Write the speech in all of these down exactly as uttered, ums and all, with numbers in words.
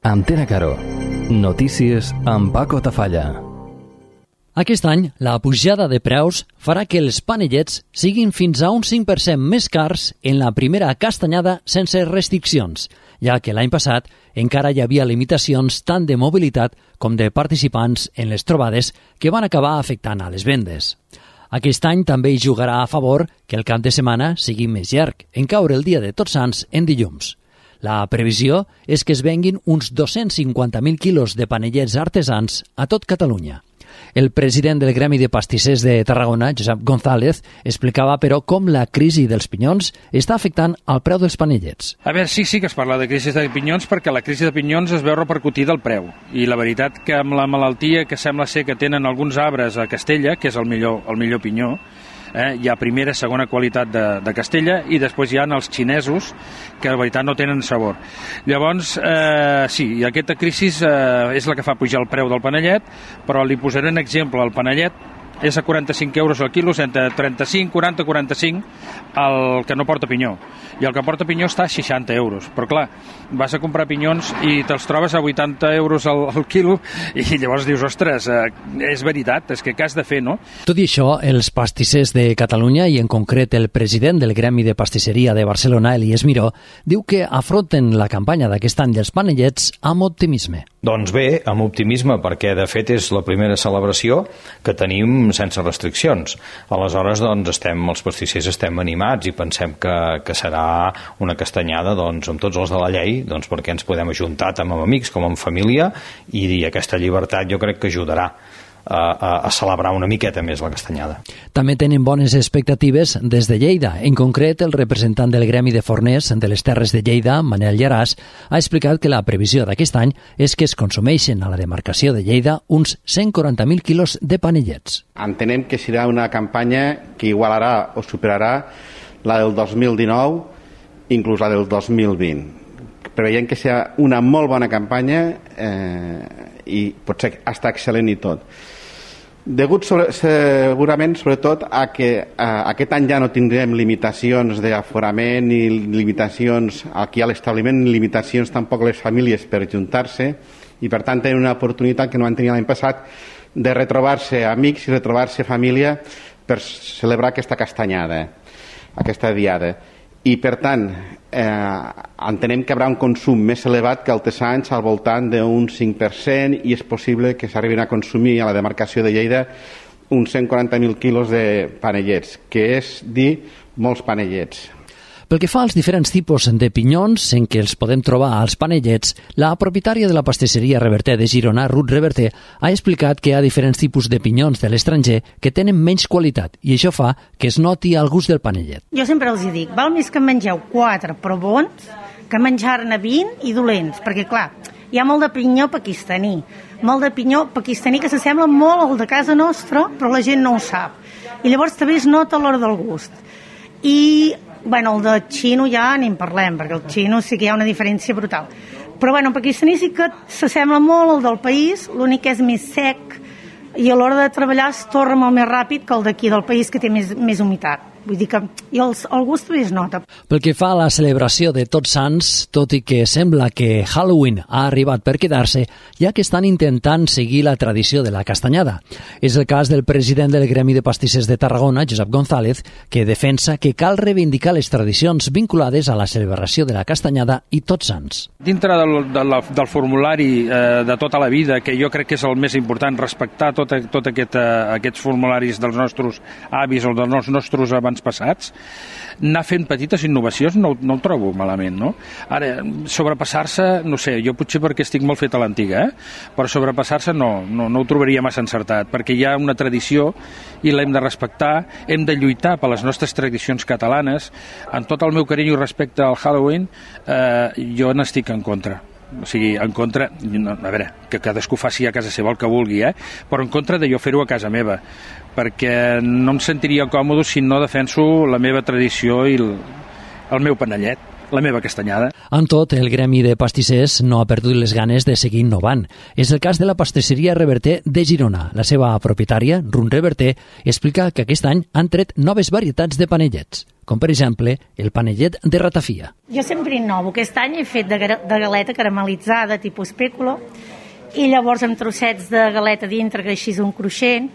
Antena Caro. Notícies amb Paco Tafalla. Aquest any, la pujada de preus farà que els panellets siguin fins a un cinc per cent més cars en la primera castanyada sense restriccions, ja que l'any passat encara hi havia limitacions tant de mobilitat com de participants en les trobades que van acabar afectant a les vendes. Aquest any també hi jugarà a favor que el cap de setmana sigui més llarg, en caure el dia de Tots Sants en dilluns. La previsió és que es venguin uns dos-cents cinquanta mil quilos de panellets artesans a tot Catalunya. El president del Gremi de Pastissers de Tarragona, Josep González, explicava, però, com la crisi dels pinyons està afectant el preu dels panellets. A veure, sí, sí que es parla de crisi de pinyons perquè la crisi de pinyons es veu repercutida al preu. I la veritat que amb la malaltia que sembla ser que tenen alguns arbres a Castella, que és el millor, el millor pinyó, Eh, hi ha primera, segona qualitat de, de Castella i després hi ha els xinesos que la veritat no tenen sabor. Llavors, eh, sí, i aquesta crisi eh, és la que fa pujar el preu del panellet, però li posaré un exemple. El panellet és a quaranta-cinc euros al quilo, entre trenta-cinc, quaranta, quaranta-cinc, el que no porta pinyó. I el que porta pinyó està a seixanta euros. Però clar, vas a comprar pinyons i te'ls trobes a vuitanta euros al, al quilo i llavors dius, ostres, eh, és veritat, és que què has de fer, no? Tot i això, els pastissers de Catalunya, i en concret el president del Gremi de Pastisseria de Barcelona, Elies Miró, diu que afronten la campanya d'aquest any dels panellets amb optimisme. Doncs bé, amb optimisme, perquè de fet és la primera celebració que tenim sense restriccions. Aleshores, doncs, estem, els pastissers estem animats i pensem que, que serà una castanyada doncs, amb tots els de la llei, doncs, perquè ens podem ajuntar tant amb amics com amb família i, i aquesta llibertat jo crec que ajudarà a, a, a celebrar una miqueta més la castanyada. També tenen bones expectatives des de Lleida. En concret, el representant del Gremi de Forners de les Terres de Lleida, Manel Llaràs, ha explicat que la previsió d'aquest any és que es consumeixen a la demarcació de Lleida uns cent quaranta mil quilos de panellets. Entenem que serà una campanya que igualarà o superarà la del dos mil dinou, inclús la del dos mil vint. Preveiem que serà una molt bona campanya eh, i potser està excel·lent i tot. Degut sobre, segurament, sobretot, a que eh, aquest any ja no tindrem limitacions d'aforament ni limitacions aquí a l'establiment, ni limitacions tampoc les famílies per juntar-se, i per tant tenen una oportunitat que no van tenir l'any passat de retrobar-se amics i retrobar-se família per celebrar aquesta castanyada, aquesta diada. I per tant eh, entenem que hi haurà un consum més elevat que altres anys, al voltant d'un cinc per cent, i és possible que s'arribin a consumir a la demarcació de Lleida uns cent quaranta mil quilos de panellets, que és dir molts panellets. Pel que fa als diferents tipus de pinyons en què els podem trobar als panellets, la propietària de la pastisseria Reverter de Girona, Ruth Reverter, ha explicat que hi ha diferents tipus de pinyons de l'estranger que tenen menys qualitat i això fa que es noti el gust del panellet. Jo sempre els dic, val més que en mengeu quatre però bons que menjar-ne vint i dolents, perquè clar, hi ha molt de pinyó pakistaní, molt de pinyó pakistaní que s'assembla molt al de casa nostra, però la gent no ho sap. I llavors també es nota a l'hora del gust. I bueno, el de xino ja ni en parlem, perquè el xino sí que hi ha una diferència brutal. Però bueno, el pakistaní sí que s'assembla molt al del país, l'únic que és més sec i a l'hora de treballar es torna molt més ràpid que el d'aquí del país, que té més, més humitat. Vull dir que i el, el gust també es nota. Pel que fa a la celebració de Tots Sants, tot i que sembla que Halloween ha arribat per quedar-se, ja que estan intentant seguir la tradició de la castanyada. És el cas del president del Gremi de Pastissers de Tarragona, Josep González, que defensa que cal reivindicar les tradicions vinculades a la celebració de la castanyada i Tots Sants. Dintre del, de la, del formulari eh, de tota la vida, que jo crec que és el més important, respectar tot, tot aquest, eh, aquests formularis dels nostres avis o dels nostres abans passats, anar fent petites innovacions no, no ho trobo malament, no? Ara, sobrepassar-se, no sé, jo potser perquè estic molt fet a l'antiga, eh? Però sobrepassar-se no, no, no ho trobaria massa encertat, perquè hi ha una tradició i l'hem de respectar, hem de lluitar per les nostres tradicions catalanes. En tot el meu carinyo respecte al Halloween, eh, jo n'estic en contra. O sigui, en contra, a veure, que cadascú faci a casa seva el que vulgui, eh? Però en contra de jo fer-ho a casa meva, perquè no em sentiria còmode si no defenso la meva tradició i el, el meu panellet. la meva castanyada. Amb tot, el gremi de pastissers no ha perdut les ganes de seguir innovant. És el cas de la pastisseria Reverter de Girona. La seva propietària, Run Reverter, explica que aquest any han tret noves varietats de panellets, com per exemple el panellet de ratafia. Jo sempre innovo. Aquest any he fet de, de galeta caramelitzada, tipus espèculo, i llavors amb trossets de galeta dintre, que així és un cruixent.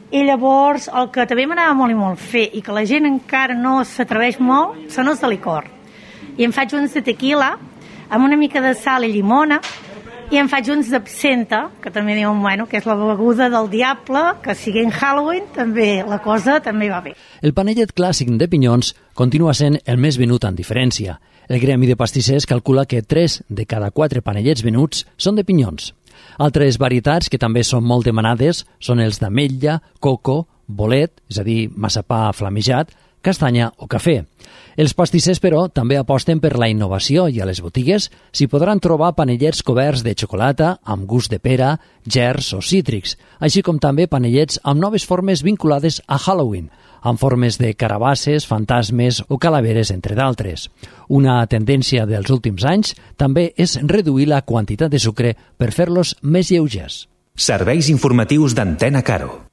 I llavors el que també m'anava molt i molt fer i que la gent encara no s'atreveix molt són els de licor. I em faig uns de tequila amb una mica de sal i llimona i em faig uns d'absenta, que també diuen bueno, que és la beguda del diable, que sigui en Halloween també la cosa també va bé. El panellet clàssic de pinyons continua sent el més venut en diferència. El gremi de pastissers calcula que tres de cada quatre panellets venuts són de pinyons. Altres varietats que també són molt demanades són els d'ametlla, coco, bolet, és a dir, massapà flamejat, castanya o cafè. Els pastissers, però, també aposten per la innovació i a les botigues s'hi podran trobar panellets coberts de xocolata amb gust de pera, gerds o cítrics, així com també panellets amb noves formes vinculades a Halloween, amb formes de carabasses, fantasmes o calaveres, entre d'altres. Una tendència dels últims anys també és reduir la quantitat de sucre per fer-los més lleugers. Serveis informatius d'Antena Caro.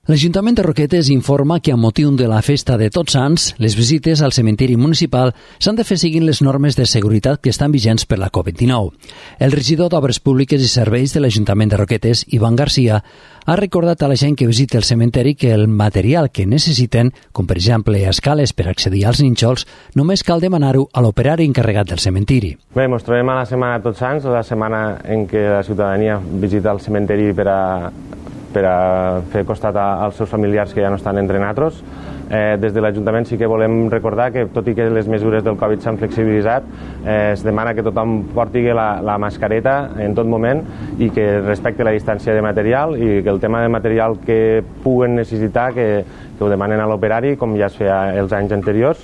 L'Ajuntament de Roquetes informa que, amb motiu de la festa de Tots Sants, les visites al cementiri municipal s'han de fer seguint les normes de seguretat que estan vigents per la covid dinou. El regidor d'Obres Públiques i Serveis de l'Ajuntament de Roquetes, Ivan Garcia, ha recordat a la gent que visita el cementeri que el material que necessiten, com per exemple escales per accedir als nínxols, només cal demanar-ho a l'operari encarregat del cementiri. Bé, ens trobem a la setmana de Tots Sants, la setmana en què la ciutadania visita el cementeri per a per a fer costat als seus familiars que ja no estan entre nosaltres. Eh, des de l'Ajuntament sí que volem recordar que, tot i que les mesures del Covid s'han flexibilitzat, eh, es demana que tothom porti la, la mascareta en tot moment i que respecte la distància de material i que el tema de material que puguen necessitar que, que ho demanen a l'operari, com ja es feia els anys anteriors.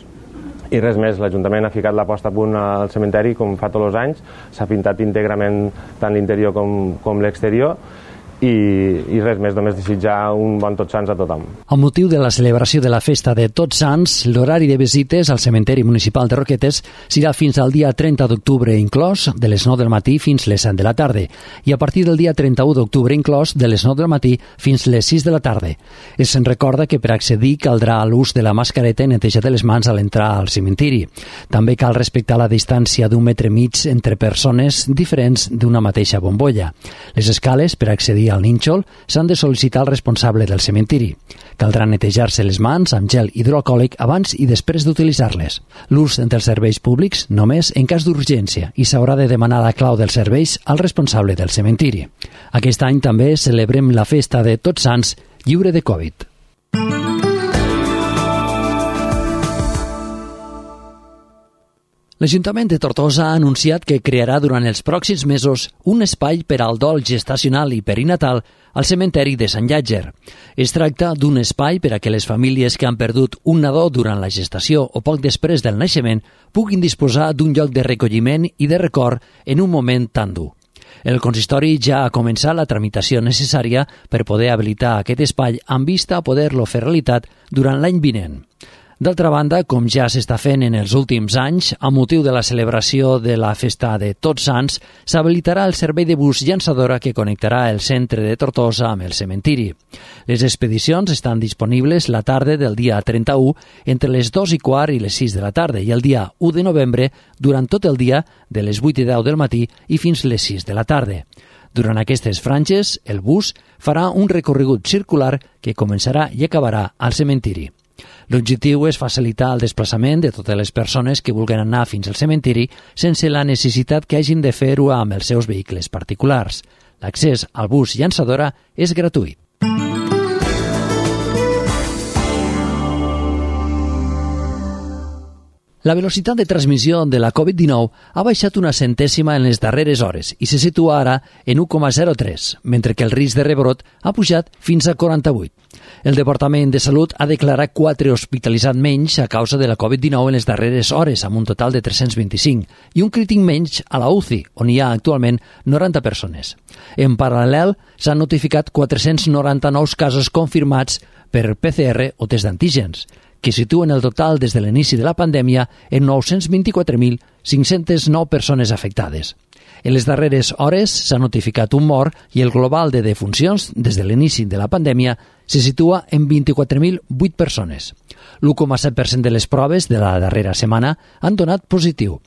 I res més, l'Ajuntament ha ficat la posta a punt al cementeri com fa tots els anys, s'ha pintat íntegrament tant l'interior com, com l'exterior. I, i res més, només desitjar un bon Tots Sants a tothom. Amb motiu de la celebració de la festa de Tots Sants, l'horari de visites al cementeri municipal de Roquetes serà fins al dia trenta d'octubre inclòs, de les nou del matí fins les set de la tarda, i a partir del dia trenta-u d'octubre inclòs, de les nou del matí fins les sis de la tarda. Es recorda que per accedir caldrà l'ús de la mascareta i netejar de les mans a l'entrar al cementiri. També cal respectar la distància d'un metre mig entre persones diferents d'una mateixa bombolla. Les escales per accedir al nínxol s'han de sol·licitar al responsable del cementiri. Caldrà netejar-se les mans amb gel hidroalcohòlic abans i després d'utilitzar-les. L'ús dels serveis públics només en cas d'urgència i s'haurà de demanar la clau dels serveis al responsable del cementiri. Aquest any també celebrem la festa de Tots Sants lliure de Covid. L'Ajuntament de Tortosa ha anunciat que crearà durant els pròxims mesos un espai per al dol gestacional i perinatal al cementeri de Sant Llàtzer. Es tracta d'un espai per a que les famílies que han perdut un nadó durant la gestació o poc després del naixement puguin disposar d'un lloc de recolliment i de record en un moment tan dur. El consistori ja ha començat la tramitació necessària per poder habilitar aquest espai amb vista a poder-lo fer realitat durant l'any vinent. D'altra banda, com ja s'està fent en els últims anys, a motiu de la celebració de la festa de Tots Sants, s'habilitarà el servei de bus llançadora que connectarà el centre de Tortosa amb el cementiri. Les expedicions estan disponibles la tarda del dia trenta-u entre les dos i quart i les sis de la tarda i el dia u de novembre durant tot el dia de les vuit i deu del matí i fins les sis de la tarda. Durant aquestes franges, el bus farà un recorregut circular que començarà i acabarà al cementiri. L'objectiu és facilitar el desplaçament de totes les persones que vulguin anar fins al cementiri sense la necessitat que hagin de fer-ho amb els seus vehicles particulars. L'accés al bus llançadora és gratuït. La velocitat de transmissió de la covid dinou ha baixat una centèsima en les darreres hores i se situa ara en u coma zero tres, mentre que el risc de rebrot ha pujat fins a quaranta-vuit. El Departament de Salut ha declarat quatre hospitalitzats menys a causa de la covid dinou en les darreres hores, amb un total de tres-cents vint-i-cinc, i un crític menys a la U C I, on hi ha actualment noranta persones. En paral·lel, s'han notificat quatre-cents noranta-nou casos confirmats per P C R o test d'antígens, que situen el total des de l'inici de la pandèmia en nou-cents vint-i-quatre mil cinc-cents nou persones afectades. En les darreres hores s'ha notificat un mort i el global de defuncions des de l'inici de la pandèmia se situa en vint-i-quatre mil vuit persones. l'u coma set per cent de les proves de la darrera setmana han donat positiu.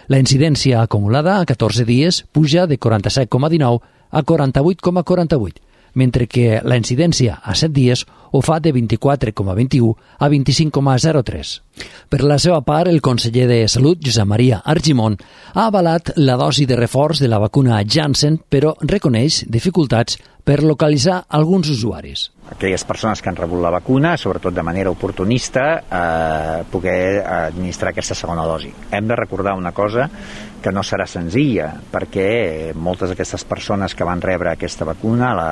La incidència acumulada a catorze dies puja de quaranta-set coma dinou a quaranta-vuit coma quaranta-vuit, mentre que la incidència a set dies ho fa de vint-i-quatre coma vint-i-u a vint-i-cinc coma zero tres. Per la seva part, el conseller de Salut, Josep Maria Argimon, ha avalat la dosi de reforç de la vacuna Janssen, però reconeix dificultats per localitzar alguns usuaris. Aquelles persones que han rebut la vacuna, sobretot de manera oportunista, eh, poder administrar aquesta segona dosi. Hem de recordar una cosa que no serà senzilla, perquè moltes d'aquestes persones que van rebre aquesta vacuna, la,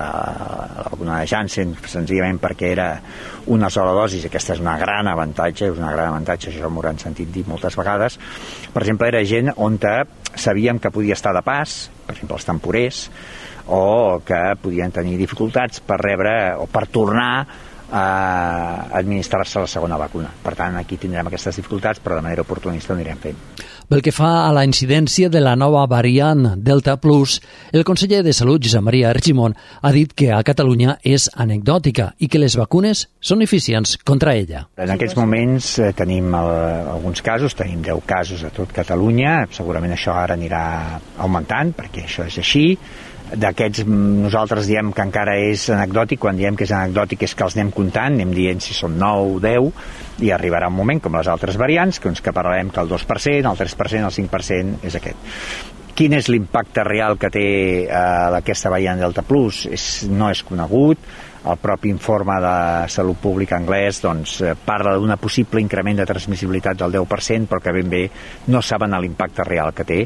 la vacuna de Janssen, senzillament perquè era una sola dosi, aquesta és una gran avantatge, és una gran avantatge, això m'ho han sentit dir moltes vegades. Per exemple, era gent on sabíem que podia estar de pas, per exemple, els temporers, o que podien tenir dificultats per rebre o per tornar a administrar-se la segona vacuna. Per tant, aquí tindrem aquestes dificultats, però de manera oportunista ho anirem fent. Pel que fa a la incidència de la nova variant Delta Plus, el conseller de Salut, Josep Maria Argimon, ha dit que a Catalunya és anecdòtica i que les vacunes són eficients contra ella. En aquests moments eh, tenim el, alguns casos, tenim deu casos a tot Catalunya, segurament això ara anirà augmentant, perquè això és així. D'aquests nosaltres diem que encara és anecdòtic, quan diem que és anecdòtic és que els anem comptant, anem dient si són nou o deu, i arribarà un moment, com les altres variants, que uns que parlarem que el dos per cent, el tres per cent, el cinc per cent és aquest. Quin és l'impacte real que té eh, aquesta variant Delta Plus? És, no és conegut. El propi informe de Salut Pública anglès doncs, parla d'un possible increment de transmissibilitat del deu per cent, però que ben bé no saben l'impacte real que té.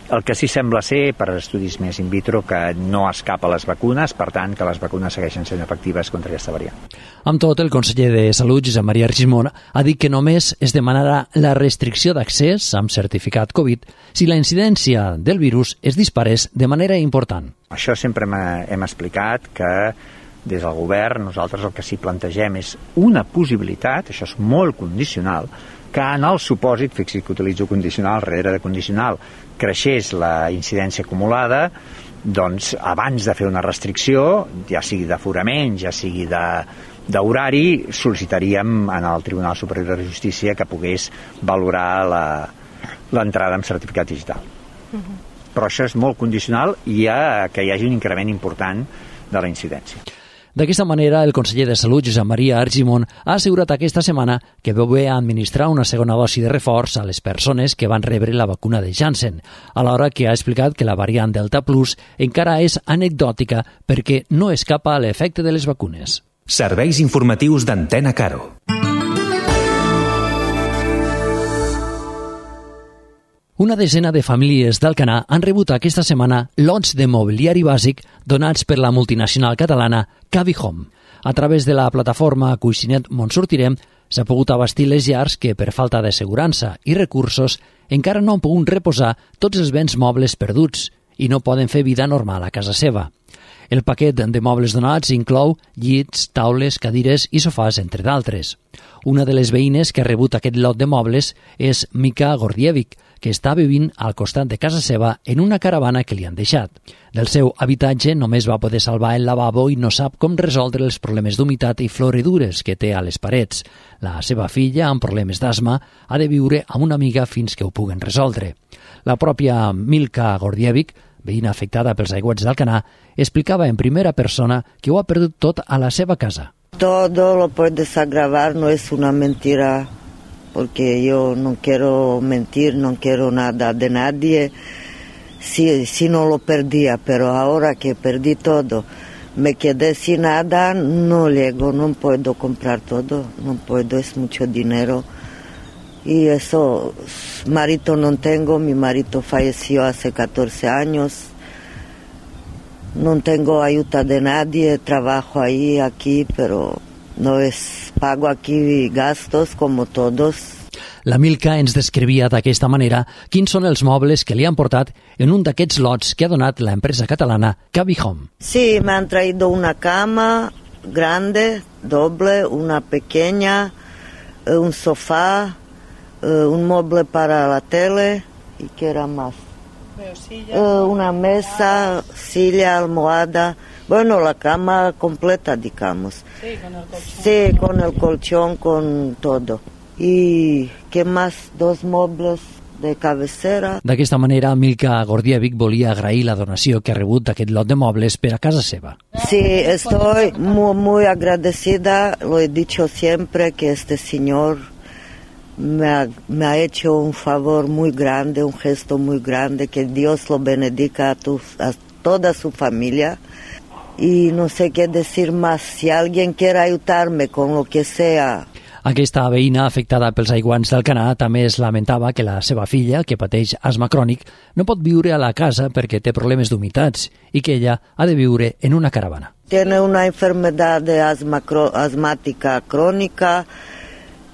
El que sí sembla ser, per estudis més in vitro, que no escapa a les vacunes, per tant, que les vacunes segueixen sent efectives contra aquesta variant. Amb tot, el conseller de Salut, Josep Maria Argimon, ha dit que només es demanarà la restricció d'accés amb certificat Covid si la incidència del virus es disparés de manera important. Això sempre hem explicat que des del govern nosaltres el que sí plantegem és una possibilitat, això és molt condicional, que en el supòsit, fixi que utilitzo condicional darrere de condicional, creixés la incidència acumulada, doncs abans de fer una restricció, ja sigui d'aforament, ja sigui d'horari, sol·licitaríem en el Tribunal Superior de Justícia que pogués valorar l'entrada amb certificat digital. Uh-huh. Però això és molt condicional i ha, que hi hagi un increment important de la incidència. D'aquesta manera, el conseller de Salut, Josep Maria Argimon, ha assegurat aquesta setmana que veu bé administrar una segona dosi de reforç a les persones que van rebre la vacuna de Janssen, alhora que ha explicat que la variant Delta Plus encara és anecdòtica perquè no escapa a l'efecte de les vacunes. Serveis informatius d'Antena Caro. Una desena de famílies d'Alcanar han rebut aquesta setmana lots de mobiliari bàsic donats per la multinacional catalana Cavi Home. A través de la plataforma Cuixinet Montsortirem s'ha pogut abastir les llars que, per falta d'assegurança i recursos, encara no han pogut reposar tots els béns mobles perduts i no poden fer vida normal a casa seva. El paquet de mobles donats inclou llits, taules, cadires i sofàs, entre d'altres. Una de les veïnes que ha rebut aquest lot de mobles és Mika Gordievic, que està vivint al costat de casa seva en una caravana que li han deixat. Del seu habitatge només va poder salvar el lavabo i no sap com resoldre els problemes d'humitat i floridures que té a les parets. La seva filla, amb problemes d'asma, ha de viure amb una amiga fins que ho puguen resoldre. La pròpia Milka Gordievic, veïna afectada pels aiguats d'Alcanar, explicava en primera persona que ho ha perdut tot a la seva casa. Todo lo puedes agravar, no es una mentira, porque yo no quiero mentir, no quiero nada de nadie. Si, si no lo perdía, pero ahora que perdí todo, me quedé sin nada, no llego, no puedo comprar todo, no puedo, es mucho dinero. Y eso, marido no tengo, mi marido falleció hace catorce años. No tengo ayuda de nadie, trabajo ahí, aquí, pero no es pago aquí gastos como todos. La Milka ens descrivia d'aquesta manera quins són els mobles que li han portat en un d'aquests lots que ha donat la empresa catalana Cavi Home. Sí, me han traído una cama, grande, doble, una pequeña, un sofá, un mueble para la tele y ¿qué era más? Una mesa, silla, almohada, bueno, la cama completa, digamos. Sí, con el colchón. Sí, con el colchón, con todo. ¿Y qué más? Dos muebles de cabecera. D'aquesta manera, Milka Gordievich volia agrair la donació que ha rebut d'aquest lot de mobles per a casa seva. Sí, estoy muy, muy agradecida, lo he dicho siempre, que este señor me ha, me ha hecho un favor muy grande, un gesto muy grande, que Dios lo bendiga a, tu, a toda su familia. Y no sé qué decir más, si alguien quiere ayudarme con lo que sea. Aquesta veïna afectada pels aiguants d'Alcanar també es lamentava que la seva filla, que pateix asma crònic, no pot viure a la casa perquè té problemes d'humitats i que ella ha de viure en una caravana. Tiene una enfermedad de asma, asmática crónica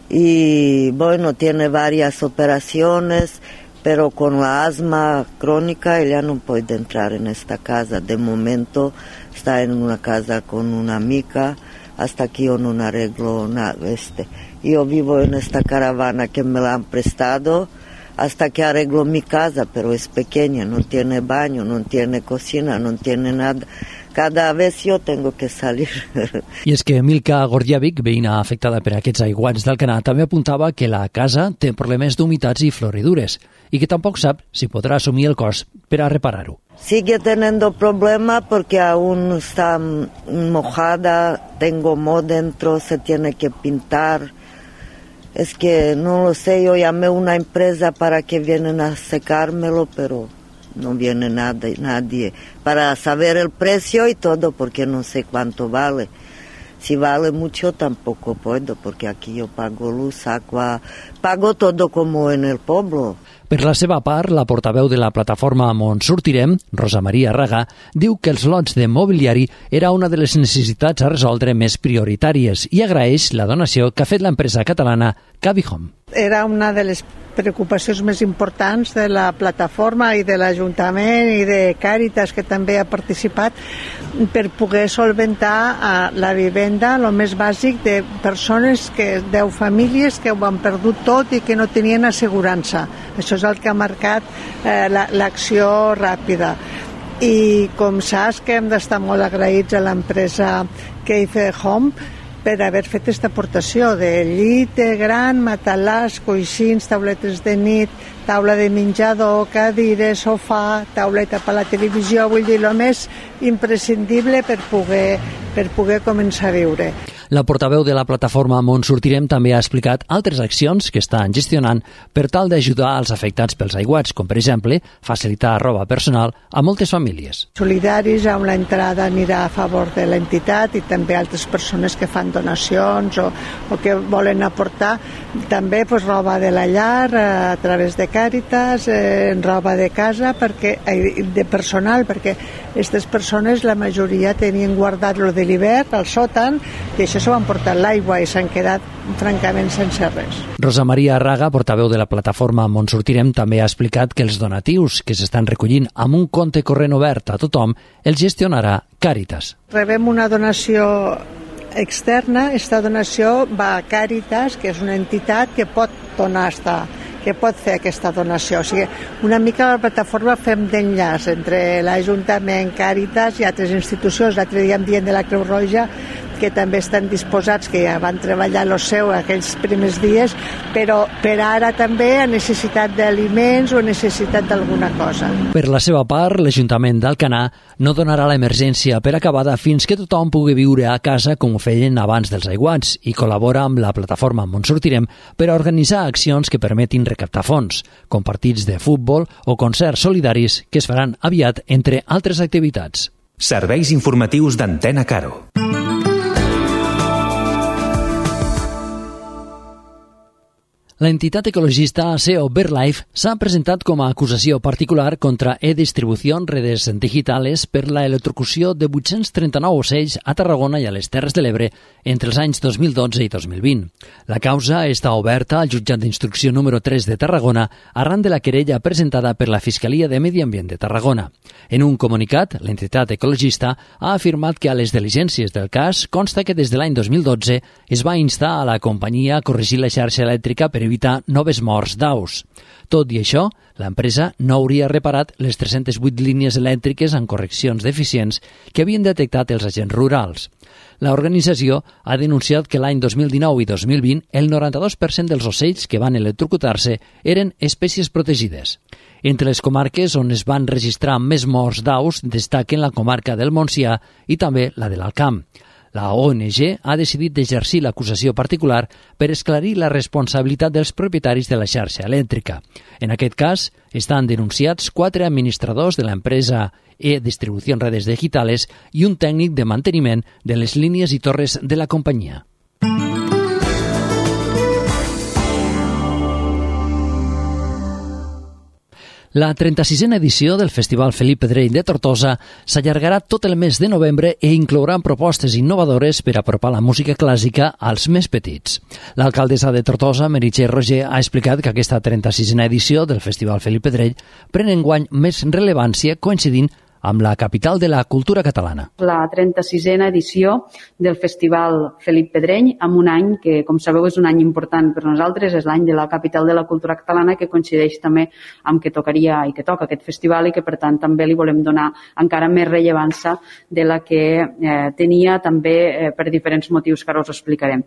y bueno, tiene varias operaciones, pero con la asma crónica ella no puede entrar en esta casa. De momento está en una casa con una amiga, hasta que yo no arreglo nada. Este. Yo vivo en esta caravana que me la han prestado hasta que arreglo mi casa, pero es pequeña, no tiene baño, no tiene cocina, no tiene nada. Cada vez yo tengo que salir. I és que Milka Gordievich, veïna afectada per aquests aiguats d'Alcanar, també apuntava que la casa té problemes d'humitats i floridures i que tampoc sap si podrà assumir el cost per a reparar-ho. Sigue teniendo problemas porque aún está mojada, tengo moho dentro, se tiene que pintar. Es que no lo sé, yo llamé a una empresa para que vienen a secármelo, pero no viene nada, nadie para saber el precio y todo, porque no sé cuánto vale. Si vale mucho tampoco puedo, porque aquí yo pago luz, agua, pago todo como en el pueblo. Per la seva part, la portaveu de la plataforma Montsortirem, Rosa Maria Raga, diu que els lots de mobiliari era una de les necessitats a resoldre més prioritàries i agraeix la donació que ha fet l'empresa catalana Cabihome. Era una de les preocupacions més importants de la plataforma i de l'Ajuntament i de Càritas, que també ha participat, per poder solventar la vivenda, el més bàsic, de persones, que deu famílies que ho han perdut tot i que no tenien assegurança. Això és el que ha marcat eh, l'acció ràpida. I com saps que hem d'estar molt agraïts a l'empresa Keith Home per haver fet aquesta aportació de llit gran, matalàs, coixins, tauletes de nit, taula de menjador, cadires, sofà, tauleta per la televisió, vull dir, el més imprescindible per poder, per poder començar a viure. La portaveu de la plataforma Montsortirem també ha explicat altres accions que estan gestionant per tal d'ajudar als afectats pels aiguats, com per exemple facilitar roba personal a moltes famílies. Solidaris, on l'entrada anirà a favor de l'entitat i també altres persones que fan donacions o, o que volen aportar també pues, roba de la llar a través de Càritas, eh, roba de casa, perquè, eh, de personal, perquè aquestes persones, la majoria tenien guardat lo de l'hivern al sòtan i això s'ho han portat l'aigua i s'han quedat francament sense res. Rosa Maria Raga, portaveu de la plataforma Montsortirem, també ha explicat que els donatius que s'estan recollint amb un compte corrent obert a tothom els gestionarà Càritas. Rebem una donació externa, aquesta donació va a Càritas, que és una entitat que pot donar esta, que pot fer aquesta donació. O sigui, una mica la plataforma fem d'enllaç entre l'Ajuntament, Càritas i altres institucions. L'altre dia em dient de la Creu Roja que també estan disposats, que ja van treballar el seu aquells primers dies, però per ara també a necessitat d'aliments o a necessitat d'alguna cosa. Per la seva part, l'Ajuntament d'Alcanar no donarà l'emergència per acabada fins que tothom pugui viure a casa com ho feien abans dels aiguats i col·labora amb la plataforma Montsortirem per a organitzar accions que permetin recaptar fons, com partits de futbol o concerts solidaris que es faran aviat, entre altres activitats. Serveis informatius d'Antena Caro. L'entitat ecologista S E O BirdLife s'ha presentat com a acusació particular contra E-Distribución Redes Digitales per la electrocució de vuit-cents trenta-nou ocells a Tarragona i a les Terres de l'Ebre entre els anys dos mil dotze i dos mil vint. La causa està oberta al jutjat d'instrucció número tres de Tarragona arran de la querella presentada per la Fiscalia de Medi Ambient de Tarragona. En un comunicat, l'entitat ecologista ha afirmat que a les diligències del cas consta que des de l'any dos mil dotze es va instar a la companyia a corregir la xarxa elèctrica per evitar noves morts d'aus. Tot i això, l'empresa no hauria reparat les tres-centes vuit línies elèctriques amb correccions deficients que havien detectat els agents rurals. L'organització ha denunciat que l'any dos mil dinou i dos mil vint el noranta-dos per cent dels ocells que van electrocutar-se eren espècies protegides. Entre les comarques on es van registrar més morts d'aus destaquen la comarca del Montsià i també la de l'Alt Camp. La O N G ha decidit d'exercir l'acusació particular per esclarir la responsabilitat dels propietaris de la xarxa elèctrica. En aquest cas, estan denunciats quatre administradors de l'empresa E-Distribución Redes Digitales i un tècnic de manteniment de les línies i torres de la companyia. La trenta-sisena edició del Festival Felip Pedrell de Tortosa s'allargarà tot el mes de novembre i inclourà propostes innovadores per apropar la música clàssica als més petits. L'alcaldessa de Tortosa, Meritxell Roger, ha explicat que aquesta trenta-sisena edició del Festival Felip Pedrell pren enguany més rellevància coincidint amb la capital de la cultura catalana. La trenta-sisena edició del Festival Felip Pedrell, amb un any que, com sabeu, és un any important per nosaltres, és l'any de la capital de la cultura catalana, que coincideix també amb que tocaria i que toca aquest festival i que, per tant, també li volem donar encara més rellevància de la que eh, tenia també eh, per diferents motius que ara us explicarem.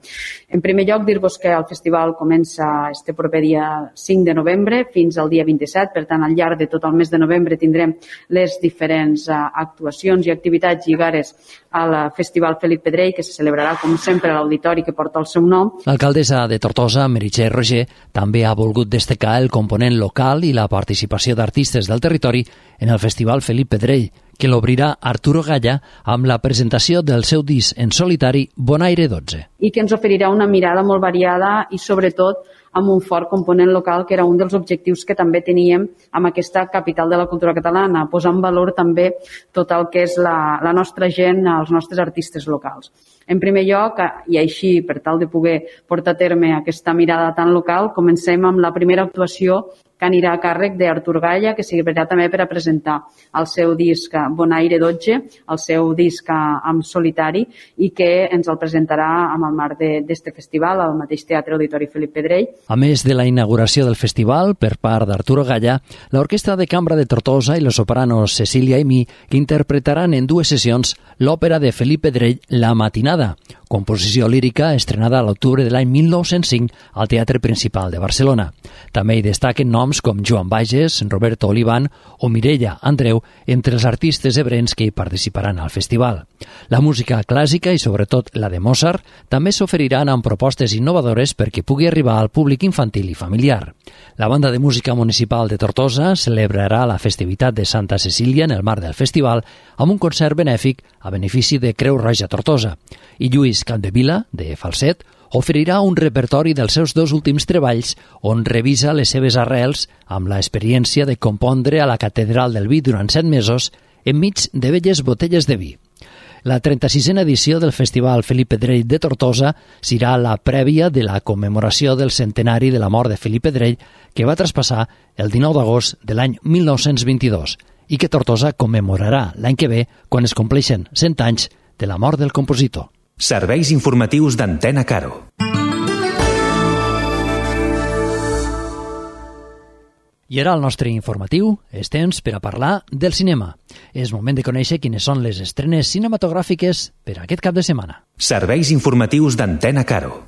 En primer lloc, dir-vos que el festival comença este proper dia cinc de novembre fins al dia vint-i-set, per tant, al llarg de tot el mes de novembre tindrem les diferents actuacions i activitats lligades al Festival Felip Pedrell, que se celebrarà, com sempre, a l'auditori que porta el seu nom. L'alcaldessa de Tortosa, Meritxell Roger, també ha volgut destacar el component local i la participació d'artistes del territori en el Festival Felip Pedrell, que l'obrirà Arturo Galla amb la presentació del seu disc en solitari Bonaire dotze. I que ens oferirà una mirada molt variada i, sobretot, amb un fort component local, que era un dels objectius que també teníem amb aquesta capital de la cultura catalana, posar en valor també tot el que és la, la nostra gent, els nostres artistes locals. En primer lloc, i així per tal de poder portar a terme aquesta mirada tan local, comencem amb la primera actuació que anirà a càrrec d'Artur Galla, que servirà també per a presentar el seu disc Bonaire dotze, el seu disc en solitari, i que ens el presentarà amb el marc d'aquest festival al mateix Teatre Auditori Felip Pedrell. A més de la inauguració del festival per part d'Arturo Galla, l'Orquestra de Cambra de Tortosa i los sopranos Cecília i Mi interpretaran en dues sessions l'òpera de Felip Pedrell La Matinada, composició lírica estrenada a l'octubre de l'any mil nou-cents cinc al Teatre Principal de Barcelona. També hi destaquen noms com Joan Bages, Roberto Olivan o Mireia Andreu entre els artistes ebrens que hi participaran al festival. La música clàssica i sobretot la de Mozart també s'oferiran amb propostes innovadores perquè pugui arribar al públic infantil i familiar. La Banda de Música Municipal de Tortosa celebrarà la festivitat de Santa Cecília en el marc del festival amb un concert benèfic a benefici de Creu Roja Tortosa. I Lluís Capdevila, de Falset, oferirà un repertori dels seus dos últims treballs on revisa les seves arrels amb l'experiència de compondre a la Catedral del Vi durant set mesos enmig de velles botelles de vi. La trenta-sisena edició del Festival Felip Pedrell de Tortosa serà la prèvia de la commemoració del centenari de la mort de Felip Pedrell, que va traspassar el dinou d'agost de l'any mil nou-cents vint-i-dos i que Tortosa commemorarà l'any que ve quan es compleixen cent anys de la mort del compositor. Serveis informatius d'Antena Caro. I ara el nostre informatiu és temps per a parlar del cinema. És moment de conèixer quines són les estrenes cinematogràfiques per a aquest cap de setmana. Serveis informatius d'Antena Caro.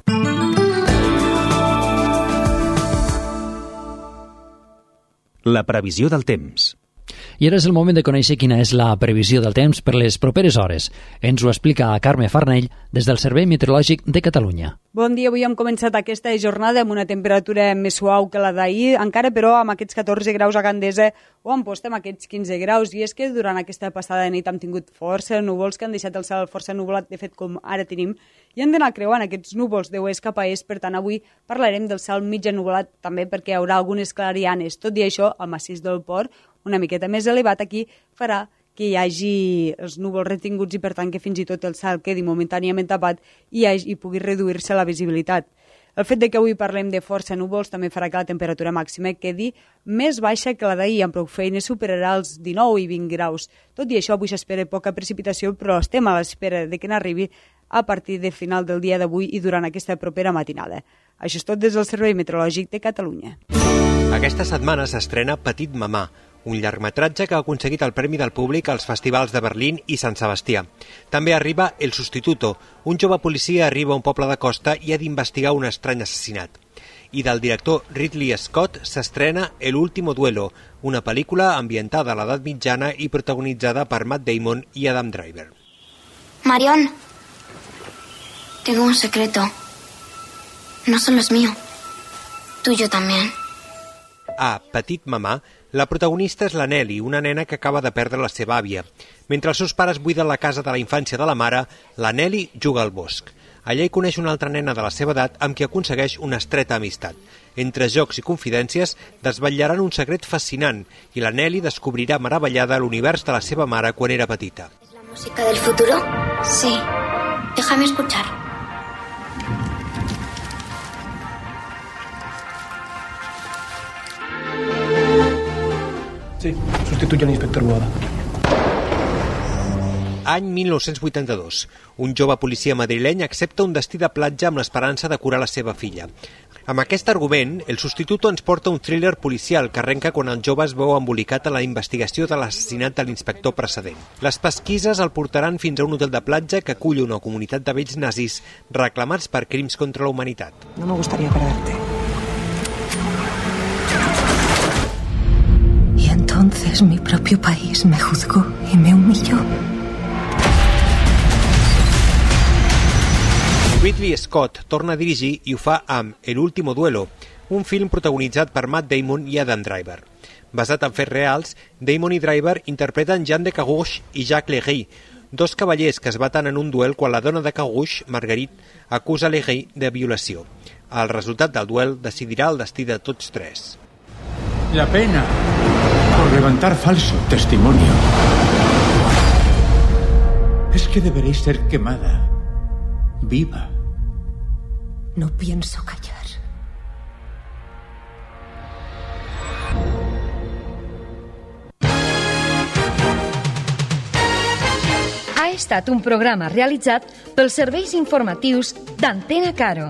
La previsió del temps. I ara és el moment de conèixer quina és la previsió del temps per les properes hores. Ens ho explica Carme Farnell des del Servei Meteorològic de Catalunya. Bon dia, avui hem començat aquesta jornada amb una temperatura més suau que la d'ahir, encara però amb aquests catorze graus a Gandesa o a Amposta amb aquests quinze graus, i és que durant aquesta passada de nit hem tingut força núvols que han deixat el cel força nuvolat, de fet com ara tenim, i han d'anar creuant aquests núvols d'oest cap a est. Per tant, avui parlarem del cel mig ennuvolat també perquè hi haurà algunes clarianes. Tot i això, el massís del Port, una miqueta més elevat aquí, farà que hi hagi els núvols retinguts i per tant que fins i tot el cel quedi momentàniament tapat i, hagi, i pugui reduir-se la visibilitat. El fet de que avui parlem de força núvols també farà que la temperatura màxima quedi més baixa que la d'ahir, amb prou feines superarà els dinou i vint graus. Tot i això, avui s'espera poca precipitació, però estem a l'espera de que n'arribi a partir de final del dia d'avui i durant aquesta propera matinada. Això és tot des del Servei Meteorològic de Catalunya. Aquesta setmana s'estrena Petit Mamà, un llargmetratge que ha aconseguit el Premi del Públic als festivals de Berlín i Sant Sebastià. També arriba El Sustituto, un jove policia arriba a un poble de costa i ha d'investigar un estrany assassinat. I del director Ridley Scott s'estrena El Último Duelo, una pel·lícula ambientada a l'edat mitjana i protagonitzada per Matt Damon i Adam Driver. Marion, tengo un secreto. No solo es mío, tuyo también. A Petit Mamà, la protagonista és la Nelly, una nena que acaba de perdre la seva àvia. Mentre els seus pares buiden la casa de la infància de la mare, la Nelly juga al bosc. Allà hi coneix una altra nena de la seva edat amb qui aconsegueix una estreta amistat. Entre jocs i confidències desvetllaran un secret fascinant i la Nelly descobrirà meravellada l'univers de la seva mare quan era petita. ¿Es la música del futuro? Sí. Déjame escuchar. Sí, sustituye al inspector Boada. Any mil nou-cents vuitanta-dos. Un jove policia madrileny accepta un destí de platja amb l'esperança de curar la seva filla. Amb aquest argument, El Sustituto ens porta un thriller policial que arrenca quan el jove es veu embolicat a la investigació de l'assassinat de l'inspector precedent. Les pesquises el portaran fins a un hotel de platja que acull una comunitat de vells nazis reclamats per crims contra la humanitat. No me gustaría perderte. Y entonces mi propio país me juzgó y me humilló. Ridley Scott torna a dirigir i ho fa amb El Último Duelo, un film protagonitzat per Matt Damon i Adam Driver. Basat en fets reals, Damon i Driver interpreten Jean de Carouge i Jacques Legris, dos cavallers que es baten en un duel quan la dona de Carouge, Marguerite, acusa Legris de violació. El resultat del duel decidirà el destí de tots tres. La pena por levantar falso testimonio es que deberéis ser quemada viva. No pienso callar. Ha estat un programa realitzat pels serveis informatius d'Antena Caro.